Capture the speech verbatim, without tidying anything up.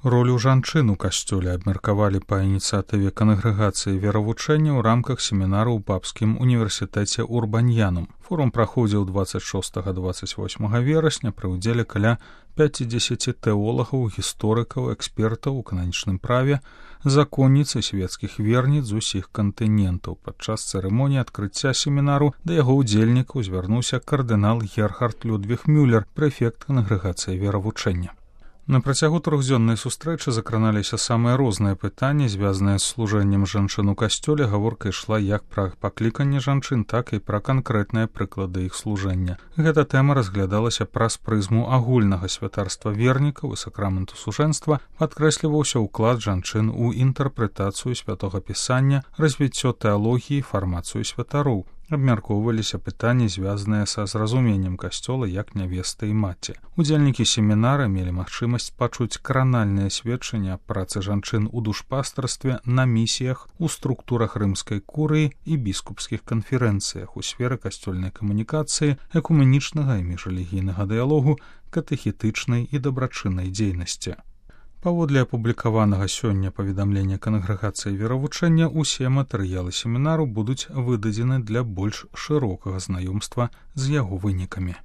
Ролю жанчын у касцёле абмеркавалі па ініцыятыве кангрэгацыі веравучэння ў рамках семінару ў папскім універсітэце Урбаньянум. Форум праходзіў дваццаць шостага - дваццаць восьмага верасня пры ўдзеле каля пяцідзесяці тэолагаў, гісторыкаў, экспертаў у кананічным праве, законніц і свецкіх верніц з усіх кантынентаў. Падчас цырымоніі адкрыцця семінару да яго ўдзельнікаў звярнуўся кардынал Герхард Людвіг Мюллер, прэфект кангрэгацыі веравучэння. На працягу трохдзённай сустрэчы закраналіся самыя розныя пытанні, звязаныя з служэннем жанчын у касцёле. Гаворка ішла як пра пакліканне жанчын, так і пра канкрэтныя прыклады іх служэння. Гэта тэма разглядалася праз прызму агульнага святарства вернікаў і сакраменту сужэнства, падкрэсліваўся ўклад жанчын у інтэрпрэтацыю святога пісання, развіццё тэалогіі, фармацыю святароў. Абмяркоўваліся пытанні, звязаныя са зразуменнем касцёла як нявесты і маці. Удзельнікі семінара мелі магчымасць пачуць кранальныя сведчанні аб працы жанчын у душпастарстве, на місіях, у структурах рымскай курыі і біскупскіх канферэнцыях у сферы касцёльнай камунікацыі, экуменічнага і міжрэлігійнага дыялогу, катэхетычнай і дабрачыннай дзейнасці. Паводле апублікаванага сёння паведамлення кангрэгацыі веравучэння, усе матэрыялы семінару будуць выдадзены для больш шырокага знаёмства з яго вынікамі.